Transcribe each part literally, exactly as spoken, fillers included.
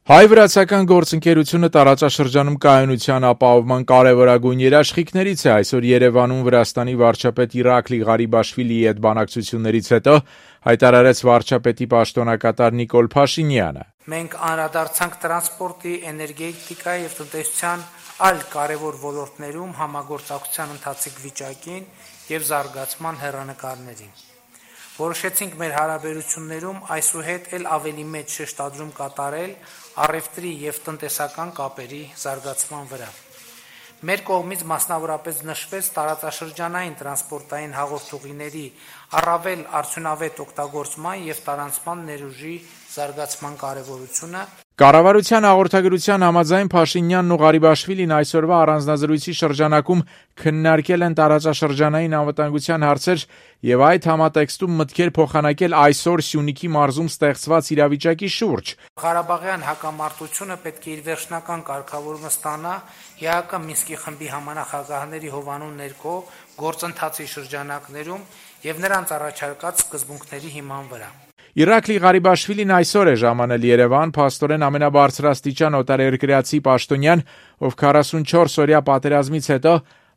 Հայ-վրացական գործընկերությունը տարածաշրջանում կայունության ապահովման կարևորագույն երաշխիքներից է։ Այսօր Երևանում Վրաստանի վարչապետ Իրակլի Ղարիբաշվիլիի հետ բանակցություններից հետո հայտարարեց վարչապետի պաշտոնակատար Նիկոլ Փաշինյանը։ Մենք անդրադարձանք տրանսպորտի, էներգետիկայի եւ տնտեսության այլ կարևոր ոլորտներում համագործակցության ընթացիկ վիճակին եւ զարգացման հեռանկարներին։ Որոշեցինք մեր հարաբերություններում այսուհետ էլ ավելի մեծ շեշտադրում կատարել առևտրի եւ տնտեսական կապերի զարգացման վրա։ Մեր կողմից մասնավորապես նշվեց տարածաշրջանային տրանսպորտային հաղորդուղիների առավել արդյունավետ օգտագործման եւ տարանցման ներուժի զարգացման կարեւորությունը։ Կառավարության հաղորդագրության համաձայն Փաշինյանն ու Ղարիբաշվիլին այսօրվա առանձնազրույցի շրջանակում քննարկել են տարածաշրջանային անվտանգության հարցեր եւ այդ համատեքստում մտքեր փոխանակել այսօր Սյունիքի մարզում ստեղծված իրավիճակի շուրջ։ Ղարաբաղյան հակամարտությունը պետք է իր վերջնական կարգավորումը ստանա ԵԱՀԿ Մինսկի խմբի համանախագահների հովանու ներքո գործընթացի շրջանակներում եւ նրանց առաջարկած սկզբունքների հիման վրա։ Իրակլի Ղարիբաշվիլին այսօր է ժամանել Երևան, փաստորեն ամենաբարձրաստիճան օտարերկրացի պաշտոնյան, ով քառասունչորս օրյա պատերազմից հետո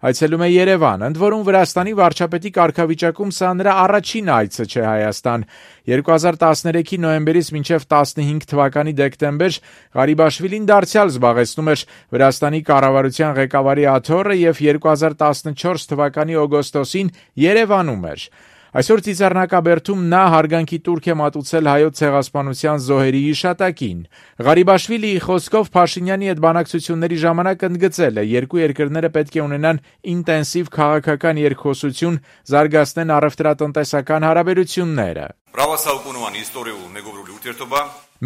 այցելում է Երևան, ընդ որում Վրաստանի վարչապետի կարգավիճակում սա նրա առաջին այցը չէ Հայաստան։ երկու հազար տասներեքի նոյեմբերից մինչև տասնհինգ թվականի դեկտեմբեր Ղարիբաշվիլին դարձյալ զբաղեցնում էր Վրաստանի կառավարության ղեկավարի աթոռը եւ երկու հազար տասնչորս թվականի օգոստոսին Երևանում էր։ Այսօր Ծիծեռնակաբերդում նա հարգանքի տուրք է մատուցել հայոց ցեղասպանության զոհերի հիշատակին։ Ղարիբաշվիլիի խոսքով Փաշինյանի հետ բանակցությունների ժամանակ ընդգծել է, երկու երկրները պետք է ունենան ինտենսիվ քաղաքական երկխոսություն, զարգացնեն առևտրատնտեսական հարաբերությունները։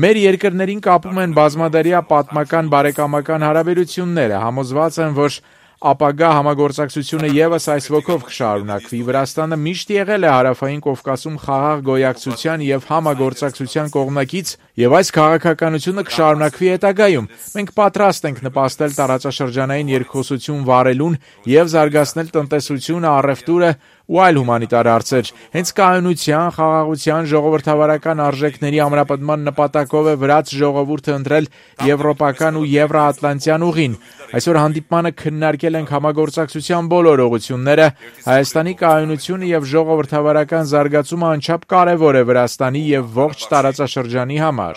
Մեր երկրներին կապում են բազմադարյա պատմական բարեկամական հարաբերությունները, համոզված են, որ ապագա համագործակցությունը եւս այս ոգով կշարունակվի։ Վրաստանը միշտ եղել է Հարավային Կովկասում խաղաղ գոյակցության եւ համագործակցության կողմնակից եւ այս քաղաքականությունը կշարունակվի հետագայում։ Մենք պատրաստ ենք նպաստել տարածաշրջանային երկխոսություն վարելուն եւ զարգացնել տնտեսությունը, առևտուրը ու այլ հումանիտար հարցեր։ Հենց կայունության, խաղաղության, ժողովրդավարական արժեքների ամրապնդման նպատակով է վրաց ժողովուրդը ընտրել եվրոպական ու եվրոատլանտյան ուղին։ Այսօր հանդիպմանը քննարկել ենք համագործակցության բոլոր ուղղությունները։ Հայաստանի կայունությունը եւ ժողովրդավարական զարգացումը անչափ կարեւոր է Վրաստանի եւ ողջ տարածաշրջանի համար։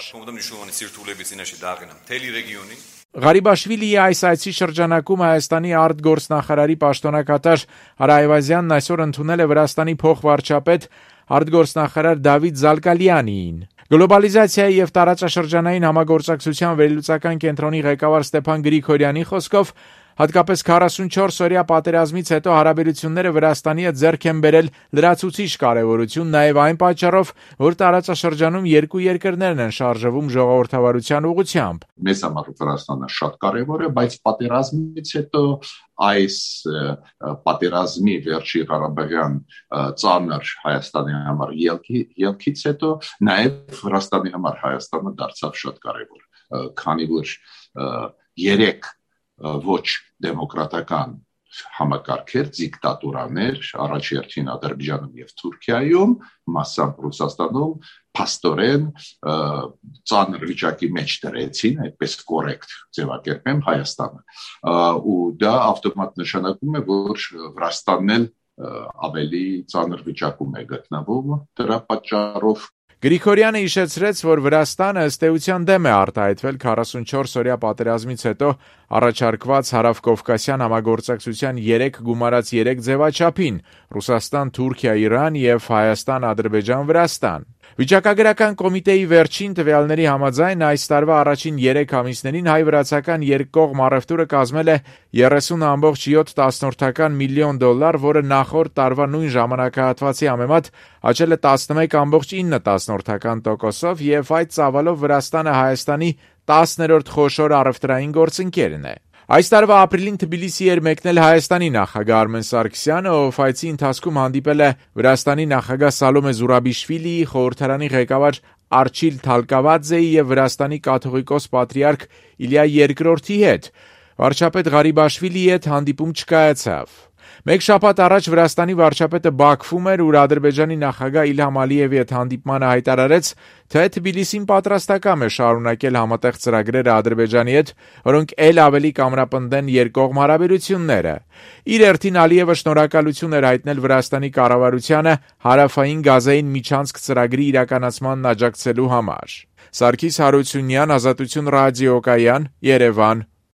Ղարիբաշվիլիի այս այցի շրջանակում Հայաստանի արտգործնախարարի պաշտոնակատար Արա Այվազյանն այսօր ընդունել է Վրաստանի փոխվարչապետ արտգործնախարար Դավիթ Զալկալյանիին։ Գլոբալիզացիայի եւ տարածաշրջանային համագործակցության վերլուծական կենտրոնի ղեկավար Ստեփան Գրիգորյանի խոսքով հատկապես քառասունչորս օրյա պատերազմից հետո հարաբերությունները Վրաստանի հետ ձեռք են բերել լրացուցիչ կարևորություն նաեւ այն պատճառով, որ տարածաշրջանում երկու երկրներն են շարժվում ժողովրդավարության ուղղությամբ։ Մեզ համար Վրաստանը շատ կարևոր է, բայց պատերազմից հետո այս պատերազմի վերջի Ղարաբաղյան ծանր Հայաստանի համար ելքից հետո նաեւ Վրաստանի համար Հայաստանը դարձավ շատ կարևոր, քանի որ երեք ոչ դեմոկրատական համակարգեր, դիկտատուրաներ, առաջերտին Ադրբեջանում եւ Թուրքիայում, մասամբ Ռուսաստանում, փաստորեն ծանր վիճակի մեջ դրեցին, այդպես կորեկտ ձևակերպեմ Հայաստանը։ Ու դա ավտոմատ նշանակում է, որ Վրաստանն էլ ավելի ծանր վիճակում է գտնվում դրա պատճառով։ Գրիգորյանը հիշեցրեց, որ Վրաստանը ըստ էության դեմ է արտահայտվել քառասունչորս օրյա պատերազմից հետո առաջարկված հարավկովկասյան համագործակցության երեք գումարած երեք ձևաչափին՝ Ռուսաստան, Թուրքիա, Իրան եւ Հայաստան, Ադրբեջան, Վրաստան։ Վիճակագրական կոմիտեի վերջին տվյալների համաձայն այս տարվա առաջին երեք ամիսներին հայ-վրացական երկկողմ առևտուրը կազմել է երեսուն ամբողջ յոթ միլիոն դոլար, որը նախորդ տարվա նույն ժամանակահատվածի համեմատ աճել է տասնմեկ ամբողջ ինը տոկոսով եւ այդ ծավալով Վրաստանը Հայաստանի տասներորդ խոշոր առևտրային գործընկերն է։ Այս տարվա ապրիլին Թբիլիսի էր մեկնել Հայաստանի նախագահ Արմեն Սարգսյանը, ով այցի ընթացքում հանդիպել է Վրաստանի նախագահ Սալոմե Զուրաբիշվիլիի, խորհրդարանի ղեկավար Արչիլ Թալկավաձեի եւ Վրաստանի կաթողիկոս պատրիարք Իլիա երկրորդի հետ։ Վարչապետ Ղարիբաշվիլիի հետ հանդիպում չկայացավ։ Մեկ շաբաթ առաջ Վրաստանի վարչապետը Բաքվում էր, ուր Ադրբեջանի նախագահ Իլհամ Ալիևի հետ հանդիպմանը հայտարարեց, թե Թբիլիսին պատրաստակամ է շարունակել համատեղ ծրագրերը Ադրբեջանի հետ, որոնք ել ավելի կամրապնդեն երկկողմ հարաբերությունները։ Իր հերթին Ալիևը շնորհակալություն էր հայտնել Վրաստանի կառավարությանը հարավային գազային միջանցք ծրագրի իրականացմանն աջակցելու համար։ Սարգիս Հարությունյան, Ազատություն ռադիոկայան, Երևան։